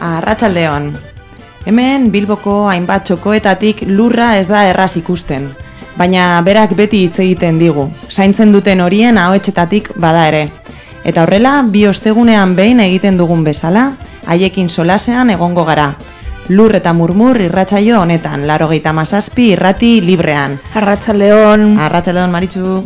Arratsaldeon. Hemen Bilboko hainbat txokoetatik lurra ez da erraz ikusten, baina berak beti hitz egiten digu, zaintzen duten horien ahoetsetatik bada ere. Eta horrela, bi ostegunean behin egiten dugun bezala, haiekin solasean egongo gara. Lur eta murmur irratsaio honetan, 97 irrati librean. Arratsaldeon. Arratsaldeon, Maritxu.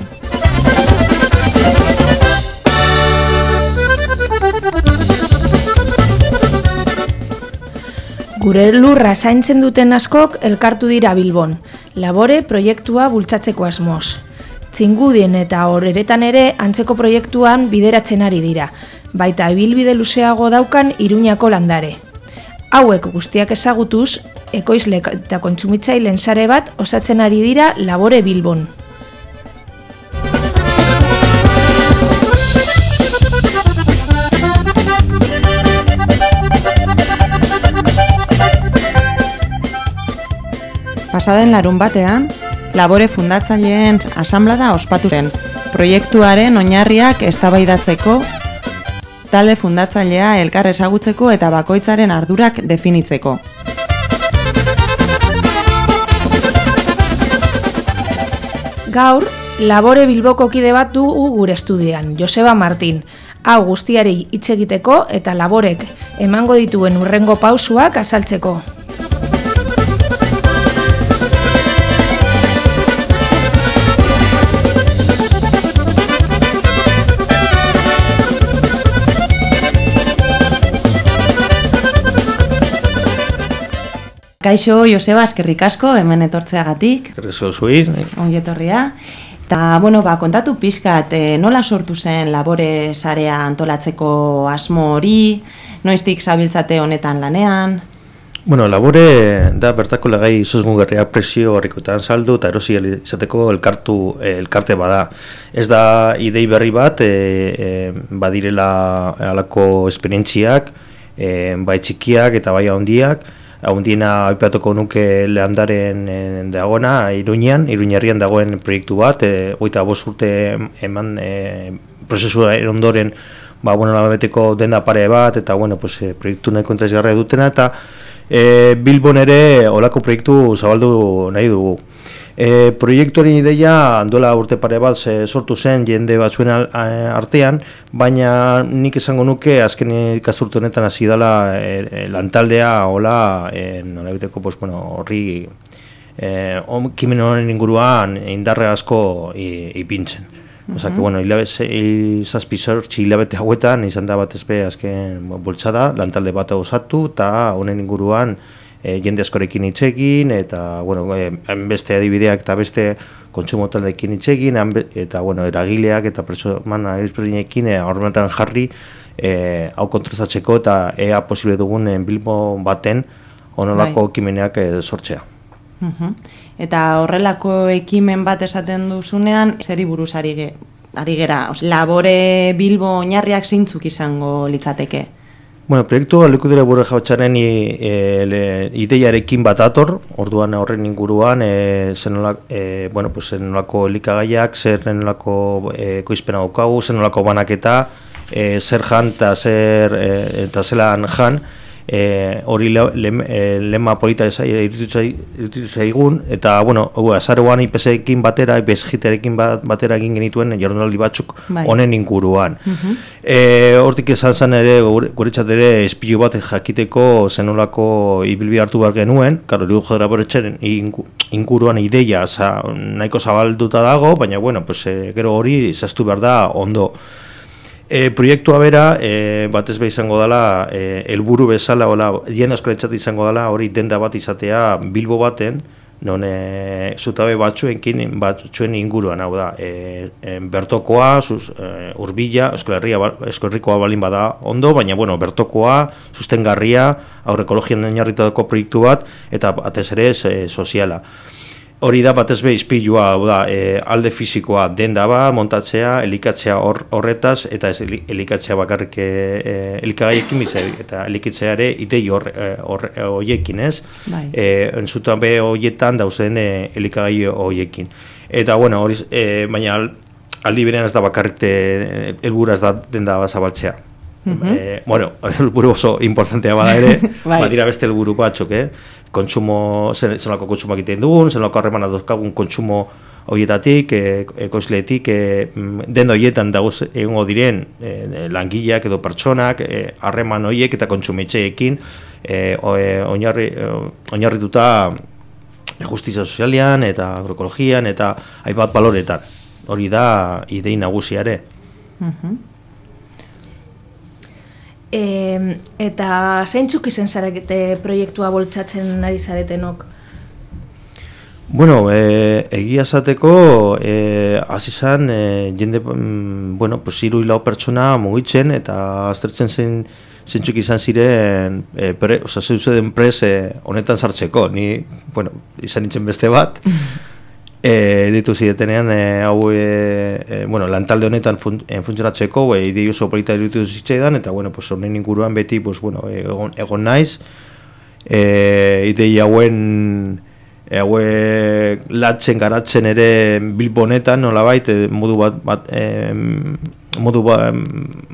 Gure lurra zaintzen duten askok elkartu dira Bilbon, Labore proiektua bultzatzeko asmoz. Txingudien eta Horeretan ere antzeko proiektuan bideratzen ari dira, baita ibilbide luzeago daukan Iruñako landare. Hauek guztiak ezagutuz, ekoizle eta kontsumitzaileen sare bat osatzen ari dira Labore Bilbon. Pasaden larun batean, Labore fundatzaileen asanblada ospatu zen, proiektuaren oinarriak eztabaidatzeko, talde fundatzailea elkar ezagutzeko eta bakoitzaren ardurak definitzeko. Gaur, Labore Bilboko kide bat dugu gure estudioan, Joseba Martin. Hau guztiari hitz egiteko eta Laborek emango dituen hurrengo pausuak azaltzeko. Kaixo, Joseba, eskerrik asko, hemen etortzeagatik. Errezo zuir. Ongi etorria. Eta, kontatu pixkat, nola sortu zen Labore sarea antolatzeko asmo hori, noiztik zabiltzate honetan lanean? Labore da bertako legai zuzmugarriak presio horrikotan saldu eta erosi izateko elkarte bada. Ez da idei berri bat, badirela halako esperientziak, bai txikiak eta bai handiak. Handiena aipatuko nuke Leandaren dagoena, Iruñerrian dagoen proiektu bat, 25 urte eman prozesu ondoren labeteko denda pare bat, eta proiektu nahiko interesgarria dutena, eta Bilbon ere olako proiektu zabaldu nahi dugu. Proiektuaren ideia dola urte pare bat sortu zen jende batzuen artean, baina nik esango nuke azken ikasturte honetan hasi dela lantaldea hola horri kimen honen inguruan indarre asko ipintzen. Osa que, hilabete hauetan izan da batez be azken bultzada, lantalde bat osatu eta honen inguruan jende askorekin hitz egin, eta beste adibideak eta beste kontsumo taldeekin hitz egin, eta eragileak eta pertsona ezberdinekin horretan jarri hau kontrastatzeko eta ea posible dugun Bilbo baten honolako ekimeneak sortzea. Eta horrelako ekimen bat esaten duzunean, zeri buruz ari gera? Labore Bilbo oinarriak zeintzuk izango litzateke? Proiektu Lekudera Bure Jautsaren ideiarekin bat ator, orduan horren inguruan, zenolako elikagaiak, zenolako ekoizpena daukagu, zenolako banaketa, zer jan eta zelan jan, hori lema polita iruditu zaigun, eta azaroan IPS-ekin batera, IPS-giterekin batera egin genituen jardunaldi batzuk honen inguruan. Hortik esan zen ere, guretzat ere, espilu bat jakiteko zenolako ibilbide hartu behar genuen, Laboretxaren inguruan ideia nahiko zabalduta dago, baina gero hori zaztu behar da ondo. Proiektua bera, batez behar izango dela, helburu bezala, jende askorentzat izango dela, hori denda bat izatea Bilbo baten, non zutabe batzuen inguruan, hau da, bertokoa, Urbila, Euskal Herrikoa balin bada ondo, baina bertokoa, sustengarria, aurrekologian oinarritutako proiektu bat, eta batez ere soziala. Hori da batez be izpilua, alde fisikoa denda ba, montatzea, elikatzea horretaz, eta ez elikatzea bakarrik elikagaiekin, eta elikatzea ere idei horiekin, ez? Entzutan be horietan dauzen elikagai horiekin. Eta, baina aldi berean ez da bakarrik helburua ez da denda zabaltzea. Bueno, helburu oso importantea bada ere, Bai. badira beste helburu batzuk, kontsumo, zelako kontsumo egiten dugun, zelako harremana dozkagun kontsumo horietatik, ekoizleetik, den horietan dagoz egongo diren langileak edo pertsonak, harreman horiek eta kontsumitzeekin oinarrituta justizia sozialean eta agroekologian eta hainbat baloretan. Hori da idei nagusia ere. Eta zeintzuk izen zarete proiektua bultzatzen ari zaretenok? Bueno, egia esateko hasi izan jende, bueno, pues 3-4 pertsona mugitzen eta aztertzen zeintzuk izan ziren zeuden prez honetan sartzeko. Ni, bueno, izan nintzen beste bat. Ditu zidetenean hau bueno, lantalde honetan funtzionatzeko idei oso polita iruditu zitzaidan eta bueno, pues honen inguruan beti pues bueno, egon naiz idei hauen latzen garatzen ere Bilbonetan nolabait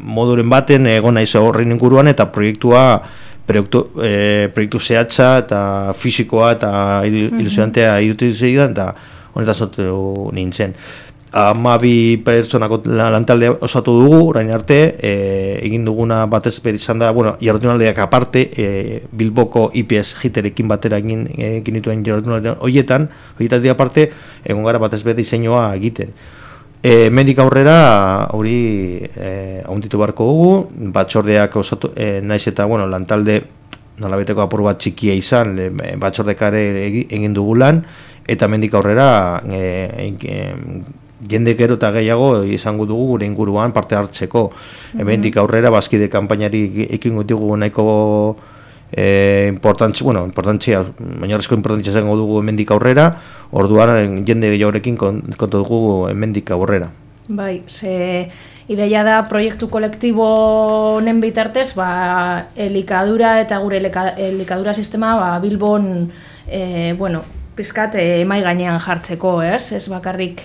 moduren baten egon naiz horren inguruan eta proiektu zehatza eta fisikoa eta ilusionantea iruditu zitzaidan eta honetan sortu nintzen. 12 pertsonako lantalde osatu dugu, orain arte, egin duguna batez beti izan da, bueno, jardunaldiak aparte, Bilboko IPS jiterekin batera egin dituen jardunaldiak horietatik aparte, egon gara batez beti diseinua egiten. Mendik aurrera, hori ahonditu beharko dugu, batzordeak osatu, naiz eta, bueno, lantalde nolabeteko apur bat txikia izan, batzordekare egin dugu lan, eta mendik aurrera jende gero eta gehiago izango dugu gure inguruan parte hartzeko. Mendik aurrera bazkide kanpainari ekingo dugu nahiko importantzia, oinarrizko importantzia izango dugu mendik aurrera, orduan jende gehiagorekin kontu dugu mendik aurrera. Bai, ze ideia da proiektu kolektibo honen bitartez, elikadura eta gure elikadura sistema Bilbon, bueno, pizkat emai gainean jartzeko, ez bakarrik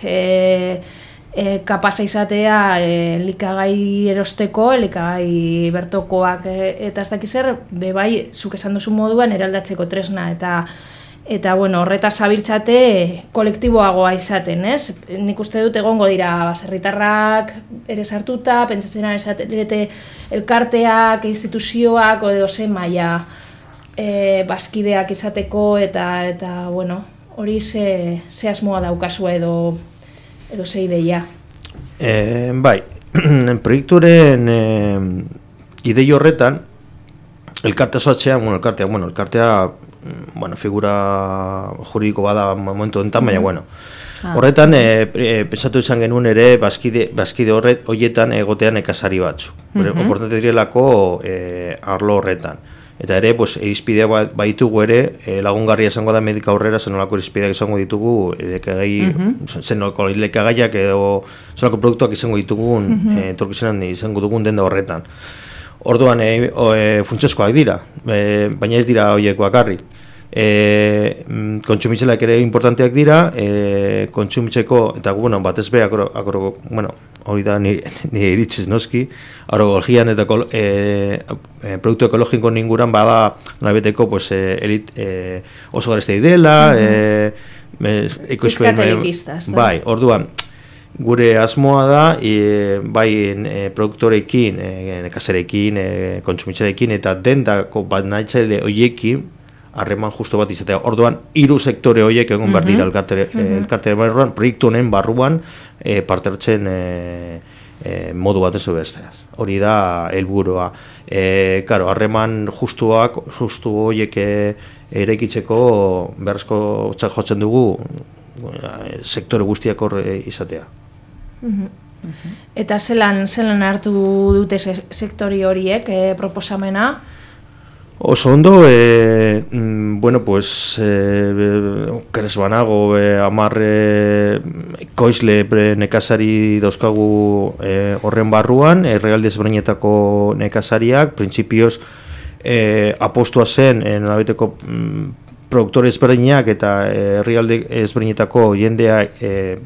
kapasa izatea elikagai erosteko, elikagai bertokoak eta ez dakiz zer, bai, zuk esan duzu moduan eraldatzeko tresna eta bueno, horretaz zabiltzate kolektiboagoa izaten, ez? Nik uste dut egongo dira baserritarrak ere sartuta, pentsatzen ari zarete elkarteak, instituzioak, edo ze maila bazkideak izateko eta bueno, hori ze asmoa daukazua edo ze ideia. Bai, proiekturen idei horretan elkartea soatzean, elkartea figura juridiko bada momentu enten, baina bueno. Horretan, pentsatu izan genuen ere bazkide horietan egotean nekazari batzu. Oportante direlako arlo horretan. Eta ere, irizpidea baitugu ere, lagungarria izango da medik aurrera, zenolako irizpideak izango ditugu, zenolako lekagaiak edo zenolako produktuak izango ditugun, etorkizunan izango dugun denda horretan. Orduan, funtsezkoak dira, baina ez dira horiek bakarrik. Kontsumitzeleak ere importanteak dira, kontsumitzeko, eta batez be, hori da nire iritziz noski, agroekologian eta produktu ekologiko ninguran bada nabeteko oso gareztei dela, Bizkat elitista, ez da? Bai, orduan, gure asmoa da, bai produktorekin, nekazarekin, kontsumitzelekin eta dendako bat nahitzaile horiekin, harreman justo bat izatea. Orduan, 3 sektore horiek egon behar dira elkarte barruan, proiektu honen barruan parte hartzen modu bat ez besteaz. Hori da helburua. Harreman justu horiek eraikitzeko beharrezko jotzen dugu sektore guztiak hor izatea. Eta zelan hartu dute sektori horiek proposamena? Oso ondo, keres banago, 10 ekoizle nekazari dauzkagu horren barruan, errealde ezberdinetako nekazariak, printzipioz apostua zen, nolabeteko produktore ezberdinak eta herrialde ezberdinetako jendea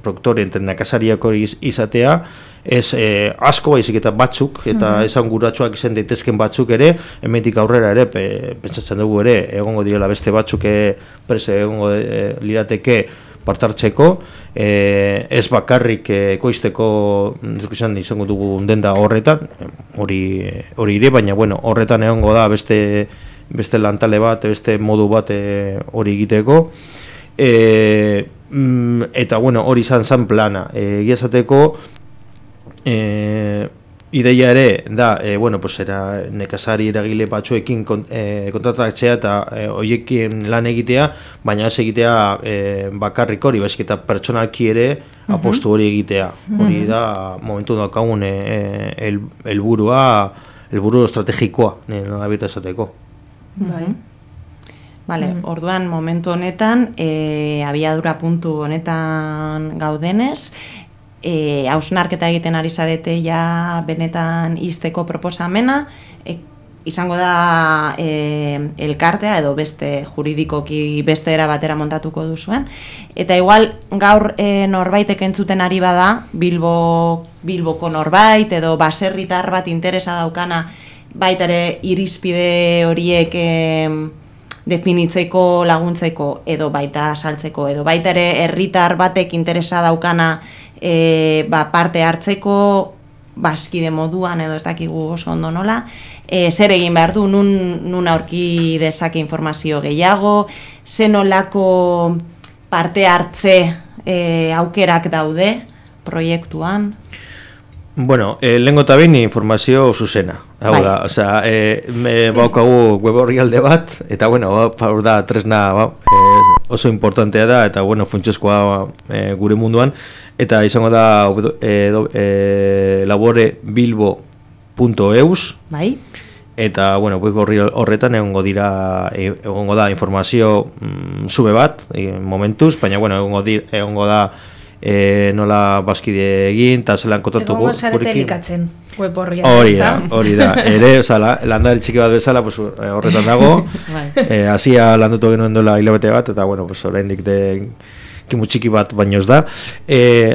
produktore eta nekazariak hori izatea, ez asko baizik eta batzuk, eta esan guratsuak izan daitezken batzuk ere, hemendik aurrera ere, pentsatzen dugu ere, egongo direla beste batzuk prese egongo lirateke partartzeko, ez bakarrik ekoizteko izango dugu denda horretan, hori ire, baina bueno, horretan egongo da beste lantale bat, beste modu bat hori egiteko, eta bueno, hori izan plana, egia esateko, ideia ere da, bueno, pues era nekazari eragile batzuekin kontratatzea eta hoiekin lan egitea, baina ez egitea bakarrik hori, baizik eta pertsonalki ere apostu hori egitea. Hori da momentu daukagun helburu estrategikoa, nola bita esateko. Vale, orduan momentu honetan, abiadura puntu honetan gaudenez, hausnarketa egiten ari zarete ja benetan izteko proposamena, izango da elkartea edo beste juridikoki beste era batera montatuko duzuen, eta igual gaur norbaitek entzuten ari bada, Bilboko norbait edo baserritar bat interesa daukana baita ere irizpide horiek definitzeko, laguntzeko edo baita saltzeko edo baita ere herritar batek interesa daukana parte hartzeko baskide moduan edo ez dakigu oso ondo nola, zer egin behar du, nun aurki dezake informazio gehiago, zenolako parte hartze aukerak daude proiektuan? Bueno, lehengo eta behin informazio zuzena. Hau da, osea, baukagu web orrialde bat, eta bueno, hau da tresna oso importantea da, eta bueno, funtsezkoa gure munduan, eta izango da laborebilbo.eus, bai? Eta bueno, web horretan egongo da informazio zube bat, momentuz, baina bueno, egongo da nola baskide egin, eta zelan kontatugu. Egongo zarete elikatzen web horria. Hori da. Ere, landari txiki bat bezala, horretan dago. Hasia landatu genuen dola hilabete bat, eta bueno, oraindik kimu txiki bat baino ez da.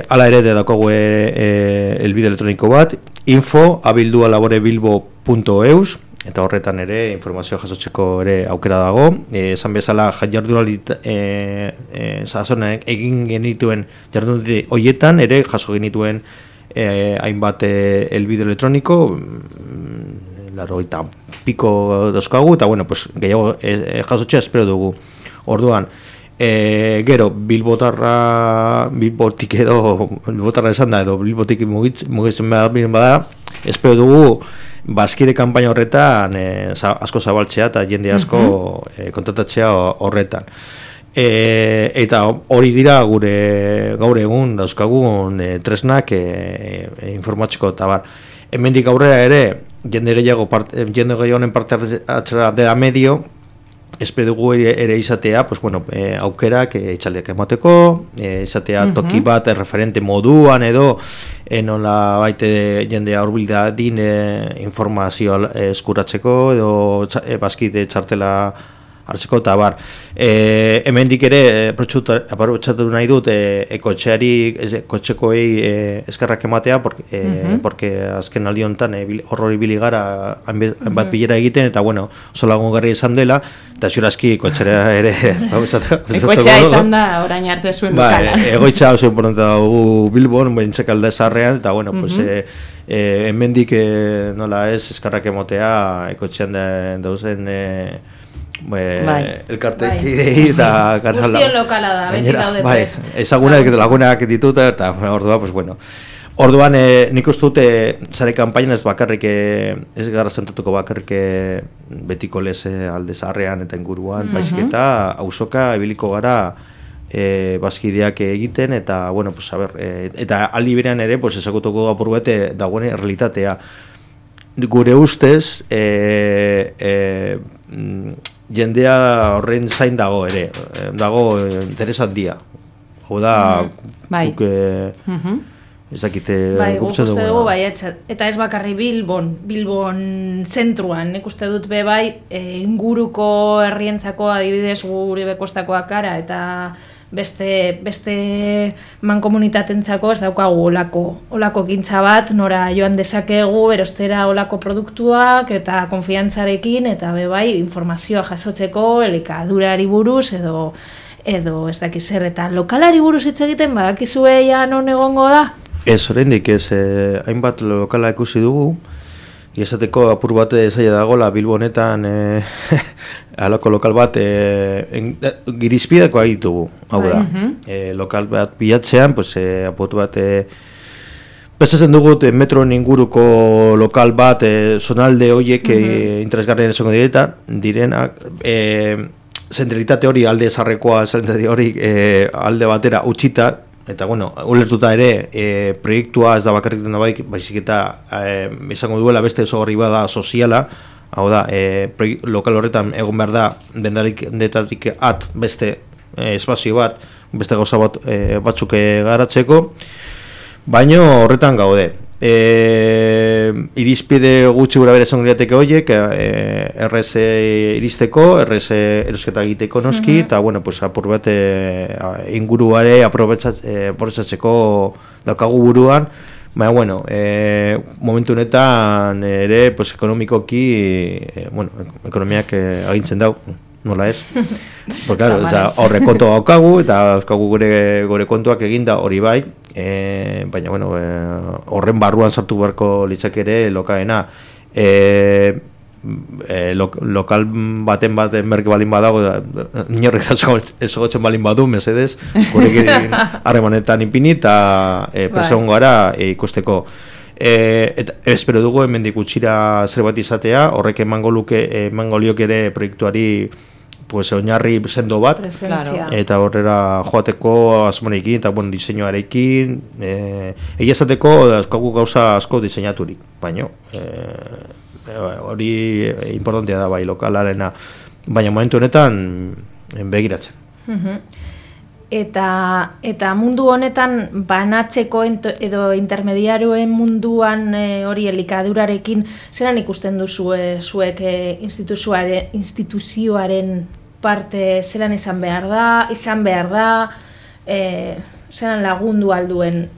Hala ere, dakogu elbide elektroniko bat, info@laborebilbo.eus, eta horretan ere informazioa jasotzeko ere aukera dago. Esan bezala jardunaldi sasonak egin genituen jardunaldi horietan ere jaso genituen hainbat elbide elektroniko, 80 piko dauzkagu, eta bueno, pues gehiago jasotzea espero dugu. Orduan, gero Bilbotik edo Bilbotarra esan da edo Bilbotik mugitzen bada, espero dugu bazkide kanpaina horretan asko zabaltzea eta jende asko kontratatzea horretan. Eta hori dira gure gaur egun dauzkagun tresnak informatzeko eta bar. Hemendik aurrera ere jende gehiagonen parte hartzera dela medio, espero dugu ere izatea, pues bueno, aukerak itxaldiak emateko, izatea toki bat referente moduan edo nola baite jendea hurbilda din informazioa eskuratzeko edo bazkide txartela hartzeko eta bar. Hemendik ere aprobetxatu nahi dut kotxekoei eskerrak ematea, porque azken aldi honetan horrori bili gara bat bilera egiten, eta bueno, oso lagungarri izan dela, eta ziurazki kotxera ere kotxea izan da orain arte zuen bukala. Egoitza oso importantea dugu Bilbon, bentsek alde zarrean, eta bueno, pues hemendik nola ez eskerrak ematea kotxean dauzen elkartek idei eta guztion lokala da, beti daude prest. Ezagunak eta lagunak dituta, eta orduan, pues bueno. Orduan, nik uste dute zare kanpaina ez bakarrik, ez gara zentutuko bakarrik betiko lez alde zaharrean eta inguruan, baizik eta auzoka ebiliko gara bazkideak egiten, eta, bueno, pues, a ver, eta aldi berean ere, pues, ezagutuko apur bete dagoen realitatea. Gure ustez, jendea horren zain dago ere, dago interes handia. Hau da, Ez dakite guk uste dugu eta ez bakarri Bilbon zentruan, nik uste dut inguruko herrientzako adibidez gure bekostakoak gara eta beste mankomunitatentzako ez daukagu olako gintza bat, nora joan dezakegu erostera olako produktuak eta konfiantzarekin eta informazioa jasotzeko elikadurari buruz edo ez dakiz zer, eta lokalari buruz hitz egiten badakizue ja non egongo da? Ez, oraindik ez, hainbat lokala ikusi dugu, esateko apur bat zaila dagoela Bilbo honetan alako lokal bat girizpidako ditugu, hau da. Lokal bat bilatzean, apotu bat pentsatzen dugu metroen inguruko lokal bat zonalde horiek interesgarrien esango direnak, zentralitate hori alde zarrekoa, zentralitate hori alde batera utxita, eta ulertuta ere proiektua ez da bakarrik dena baizik eta izango duela beste ezaugarri bada soziala, hau da, lokal horretan egon behar da dendetatik beste espazio bat, beste gauza batzuk garatzeko, baino horretan gaude. Irizpide gutxi gura bere esango lirateke horiek, errez iristeko, errez erosketa egiteko noski, eta apur bat inguruare aprobetsatzeko daukagu buruan, baina, momentu honetan ere ekonomikoki, ekonomiak agintzen dau, nola ez? Porque, claro, horre kontu daukagu, eta daukagu gure kontuak eginda hori bai, baina, horren barruan sartu beharko litzake ere lokalena. Lokal baten merke balin badago, inorrek ezogotzen balin badu, mesedez, gurekin harremanetan ipini eta presion gara ikusteko. Eta espero dugu hemendik gutxira zerbait izatea, horrek emango liok ere proiektuari oinarri sendo bat, eta horrera joateko asmonekin eta diseinuarekin, egia esateko dauzkagu gauza asko diseinaturik, baina hori importantea da bai lokalarena, baina momentu honetan begiratzen. Eta mundu honetan banatzeko edo intermediarioen munduan hori elikadurarekin zelan ikusten duzu zuek instituzioaren parte zelan izan behar da, zelan lagundu alduen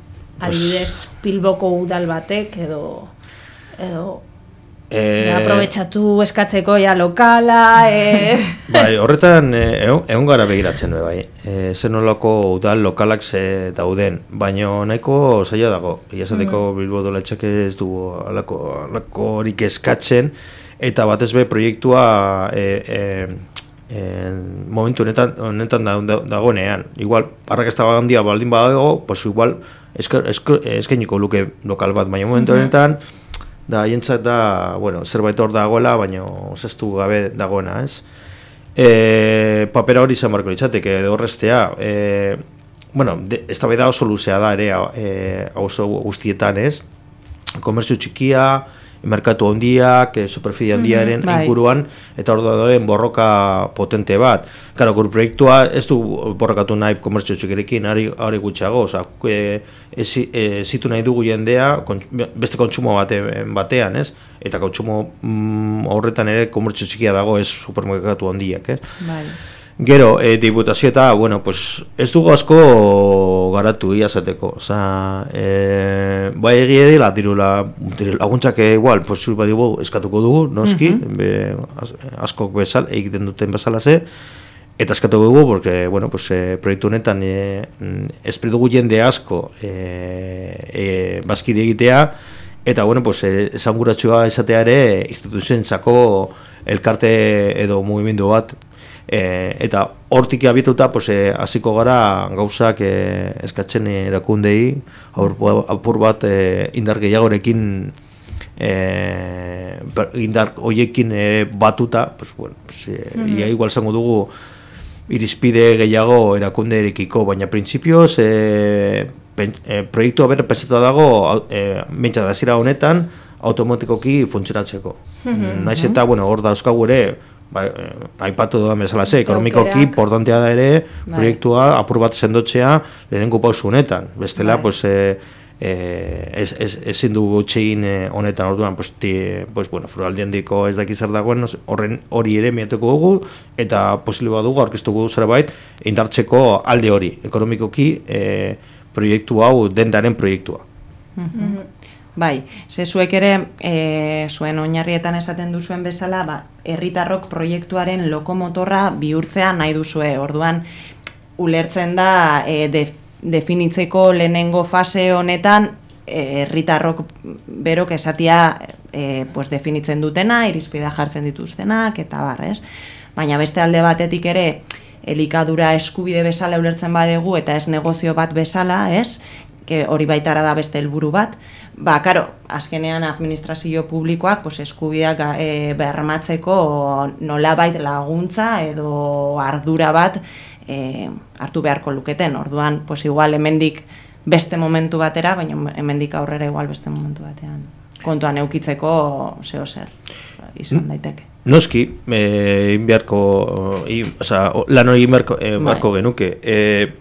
adibidez Bilboko udal batek edo aprobetxatu eskatzeko lokala. Bai, horretan egon gara begiratzen bai. Zer nolako udal lokalak dauden, baina nahiko zaila dago. Iazateko Bilbo Udaletxeak ez du alako horik eskatzen, eta batez be proiektua momentu honetan dagoenean. Igual, arrakasta handia baldin badago, igual eskainiko luke lokal bat, baina momentu honetan da hientzat da, zerbait hor dagoela, baina zaztu gabe dagoena, ez? Papera hori izan barko litzateke, horreztea, ez da oso luzea da ere, oso guztietan, ez? Komertzio txikia, merkatu handiak, superficie handiaren inguruan, eta hor dagoen borroka potente bat. Karo, gure proiektua ez du borrokatu nahi komertzio txikirekin, hori gutxago, zitu nahi dugu jendea, beste kontsumo batean, ez? Eta kontsumo horretan ere komertzio txikia dago, ez supermerkatu handiak, ez? Gero, diputazio eta, ez dugu asko garatu iazateko. Bai egia dela, diru laguntzak igual, posibil badigu eskatuko dugu, noski, askok egiten duten bezala ze, eta eskatuko dugu, porque, proiektu honetan espero dugu jende asko bazkide egitea, eta, esanguratsua esatea ere instituzioentzako elkarte edo mugimendu bat, eta hortik abituta hasiko gara gauzak eskatzen erakundei apur bat indar gehiagorekin indar hoiekin batuta igual zango dugu irizpide gehiago erakunderekiko, baina printzipioz proiektua bera pentsatu dago mentsa da zira honetan automatikoki funtzionatzeko. Naiz eta hor dauzkagu ere aipatu dudan bezala ekonomikoki importantea da ere proiektua apur bat sendotzea lehenengo pausu honetan. Bestela, ezin dugu txegin honetan orduan, foraldiandiko ez daki zer dagoen, hori ere miatuko dugu, eta posible badugu aurkeztuko du zerbait indartzeko alde hori, ekonomikoki proiektu hau dendaren proiektua. Bai, ze zuek ere, zuen oinarrietan esaten duzuen bezala, herritarrok proiektuaren lokomotorra bihurtzea nahi duzue, orduan ulertzen da definitzeko lehenengo fase honetan herritarrok berok esatia definitzen dutena, irizpidea jartzen dituztenak, eta ez? Baina beste alde batetik ere, elikadura eskubide bezala ulertzen badegu eta ez negozio bat bezala, ez? Hori baitara da beste helburu bat, karo, azkenean administrazio publikoak eskubideak bermatzeko nolabait laguntza edo ardura bat hartu beharko luketen. Orduan, igual hemendik beste momentu batera, baina hemendik aurrera igual beste momentu batean. Kontuan eukitzeko zeo zer izan daiteke. Noski, lan hori beharko genuke,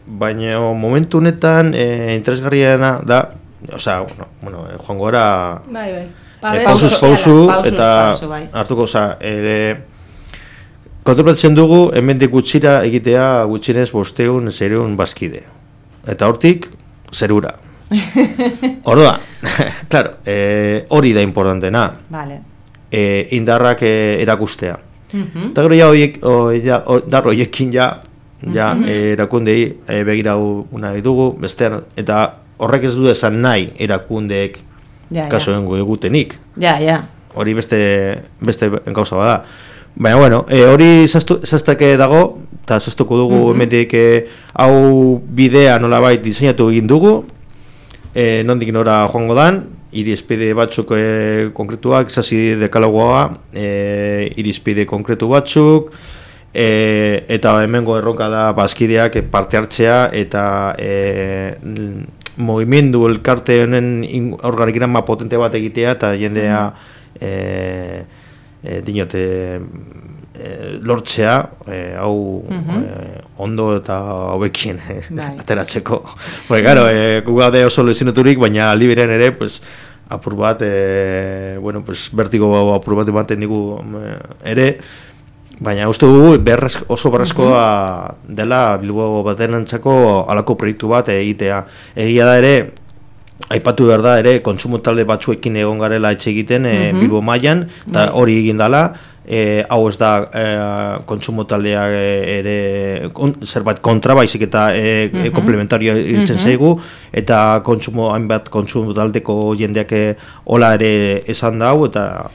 baina momentu honetan interesgarriena da, joango gara pausu eta hartuko, kontemplatzen dugu, hemendik gutxira egitea gutxinez 500 bazkide. Eta hortik, zerura. Orduan, claro, hori da importantena. Vale. Indarrak erakustea. Eta gero dar horiekin erakundei begirau nahi dugu, bestean, eta horrek ez du esan nahi erakundeek kasoen egutenik. Hori beste gauza bada. Baina, hori zaztake dago, eta zaztuko dugu emendik hau bidea nolabait diseinatu egin dugu, nondik nora joango dan, irizpide batzuk konkretuak, izazi dekalogoa, irizpide konkretu batzuk, eta hemengo erronka da bazkideak parte hartzea, eta mugimendu elkarte honen organigrama potente bat egitea, eta jendea lortzea, hau ondo eta hobekien ateratzeko. Gero, gugade oso lezinaturik, baina liberen ere, apur bat, vertigo apur bat ematen digu ere, baina uste dugu oso berrezkoa dela Bilbo baten antzako alako proiektu bat egitea. Egia da ere, aipatu behar da ere, kontsumo talde batzuekin egon garela etxe egiten Bilbo mailan, eta hori egin dela, hau ez da kontsumo taldeak ere zerbait kontra, baizik eta komplementarioa irtzen zaigu, eta hainbat kontsumo taldeko jendeak hola ere esan da hau, eta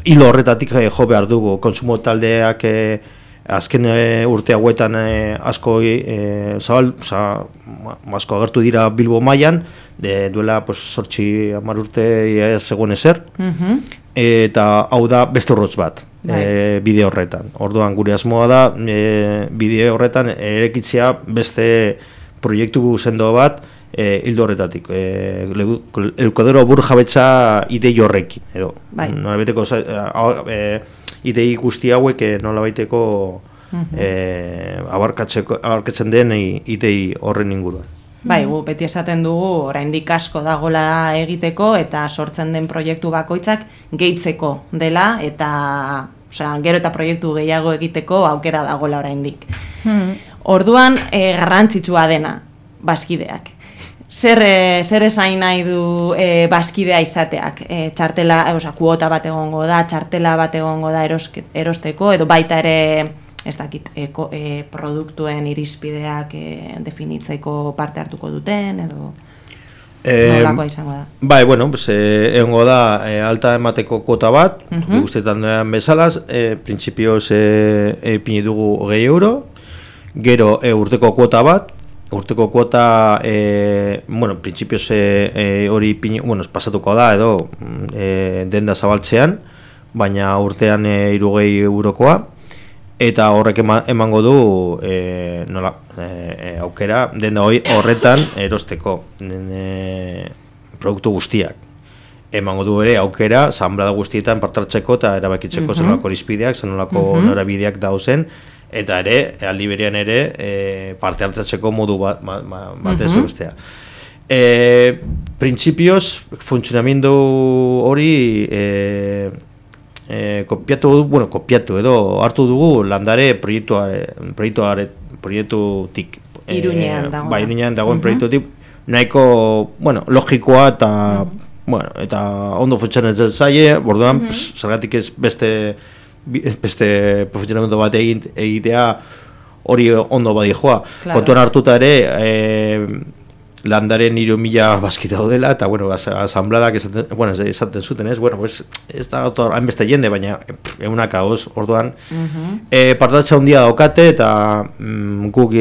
hilo horretatik jo behar dugu kontsumo taldeak azken urte hauetan asko agertu dira Bilbo mailan, duela 8-10 urte zegoen ezer, eta hau da beste urrotz bat bide horretan. Orduan gure asmoa da bide horretan erekitzea beste proiektu sendo bat hildo horretatik. Eukadero burjabetza idei horrekin, edo. Nolabeteko idei guzti hauek nolabaiteko abarkatzen den idei horren inguruan. Gu beti esaten dugu oraindik asko dagola egiteko eta sortzen den proiektu bakoitzak gehitzeko dela eta gero eta proiektu gehiago egiteko aukera dagola oraindik. Orduan garrantzitsua dena bazkideak. Zer esain nahi du bazkidea izateak? Txartela, kuota bat egongo da, txartela bat egongo da erosteko, edo baita ere, ez dakit, produktuen irizpideak definitzeko parte hartuko duten, edo nolakoa izango da? Egongo da alta emateko kuota bat, guztetan duan bezalaz, printzipioz ipini dugu 20 euro, gero urteko kuota bat, urteko kuota, printzipioz hori pasatuko da edo denda zabaltzean, baina urtean 60 eurokoa, eta horrek emango du aukera denda horretan erosteko produktu guztiak. Emango du ere aukera zanbrada guztietan partartzeko eta erabakitzeko zenolako irizpideak, zenolako norabideak dauzen, eta ere, aldi berean ere, parte hartzatzeko modu batez bestea. Printzipioz, funtzionamendu hori kopiatu edo hartu dugu landare proiektutik. Iruñean dagoen. Bai, Iruñean dagoen proiektutik nahiko, logikoa eta eta ondo funtzionatzen zaie, orduan zergatik ez beste funtzionamendu bat egitea hori ondo badi joa. Claro. Kontuan hartuta ere landaren 3.000 baskita daudela, eta, asambladak esaten zuten, ez? Ez da hainbeste jende, baina egunak hauz, orduan. Partatxa handia daukate, eta guk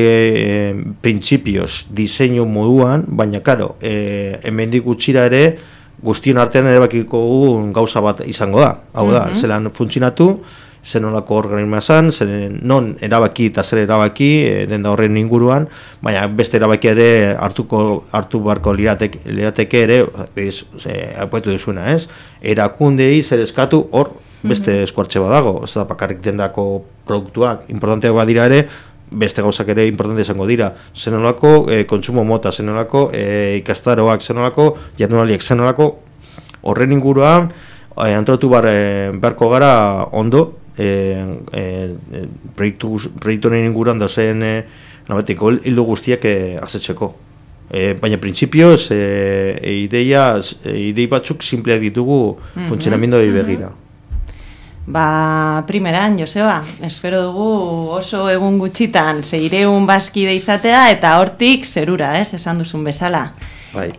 printzipioz, diseinu moduan, baina, karo, hemendik gutxira ere, guztion artean erabakiko gauza bat izango da. Hau da, zelan funtzionatu, zenolako organismoa zan, non erabaki eta zer erabaki den da horren inguruan, baina beste erabaki ere hartu barko lirateke ere, apuetu duzuna, ez? Erakundei zer eskatu hor beste eskuartxe badago, ez da bakarrik dendako produktuak, importanteak badira ere, beste gauzak ere importante izango dira, zenolako kontsumo mota, zenolako ikastaroak, zenolako jardunaldiak, zenolako horren inguruan antolatu beharko gara ondo, proiektuaren inguruan dozen hildo guztiak azetzeko. Baina printzipioz idei batzuk simpleak ditugu funtzionamenduari begira. Primeran, Joseba, espero dugu oso egun gutxitan 600 baskide izatea eta hortik zerura, esan duzun bezala. Bai.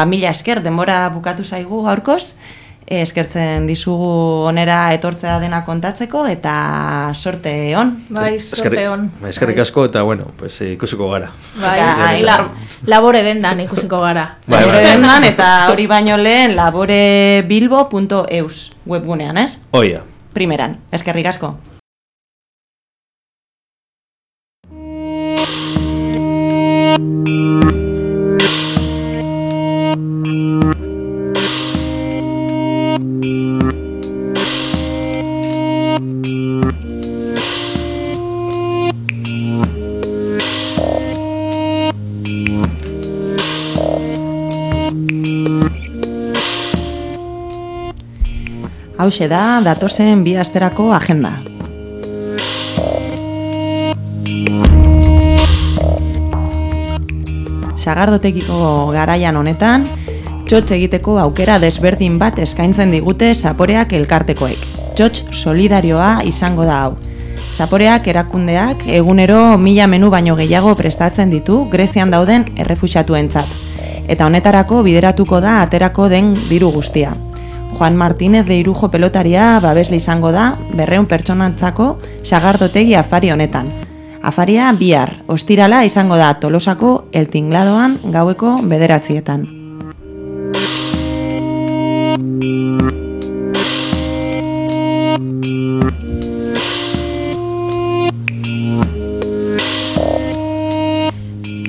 Mila esker, denbora bukatu zaigu gaurkoz. Eskertzen dizugu onera etortzea dena kontatzeko eta sorte on. Bai, sorte on. Eskerrik asko eta ikusiko gara. Bai, labore dendan ikusiko gara. Labore dendan eta hori baino lehen laborebilbo.eus webgunean, ez? Oia. Primeran, eskerrik asko. Hauxe da, datozen 2 asterako agenda. Sagardotegiko garaian honetan, txotx egiteko aukera desberdin bat eskaintzen digute zaporeak elkartekoek. Txotx solidarioa izango da hau. Zaporeak erakundeak egunero 1000 menu baino gehiago prestatzen ditu Grezian dauden errefuxiatuentzat. Eta honetarako bideratuko da aterako den diru guztia. Juan Martínez de Irujo pelotaria babesle izango da 200 pertsonantzako sagardotegi afari honetan. Afaria bihar, ostirala izango da Tolosako El Tingladoan gaueko 9:00.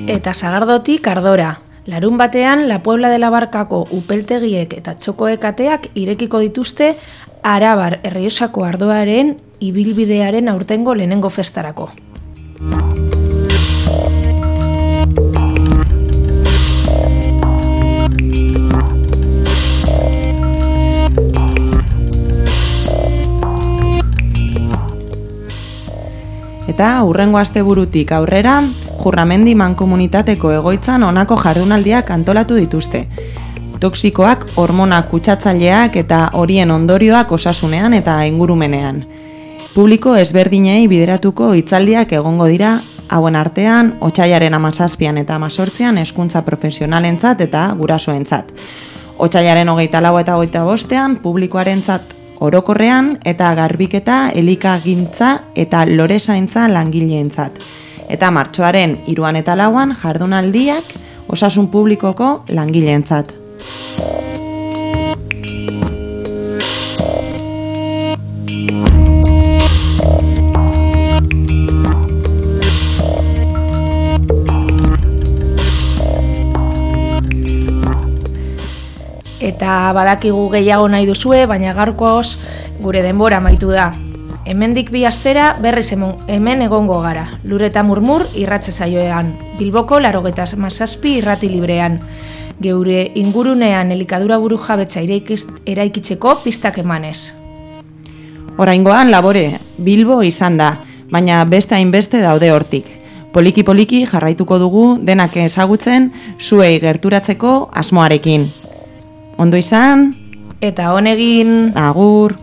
Eta Sagardotik Ardora. Larun batean, La Puebla de la Barkako upeltegiek eta txokoek ateak irekiko dituzte Arabar Errioxako ardoaren ibilbidearen aurtengo lehenengo festarako. Eta hurrengo asteburutik aurrera, Jurramendi mankomunitateko egoitzan honako jardunaldiak antolatu dituzte. Toxikoak, hormonak kutsatzaileak eta horien ondorioak osasunean eta ingurumenean. Publiko ezberdinei bideratuko hitzaldiak egongo dira, hauen artean, otsailaren 17 eta 18 hezkuntza profesionalentzat eta gurasoentzat. Otsailaren 24 eta 25 publikoarentzat orokorrean eta garbiketa, elikagintza eta lorezaintza langileentzat. Eta martxoaren 3 eta 4 jardunaldiak osasun publikoko langileentzat. Eta badakigu gehiago nahi duzue, baina gaurkoz gure denbora amaitu da. hemendik 2 astera berriz hemen egongo gara. Lur eta murmur irratze saioean. Bilboko 97 irrati librean. Geure ingurunean elikadura burujabetza eraikitzeko pistak emanez. Oraingoan labore Bilbo izan da, baina beste hainbeste daude hortik. Poliki-poliki jarraituko dugu denak ezagutzen zuei gerturatzeko asmoarekin. Ondo izan? Eta honegin... Agur!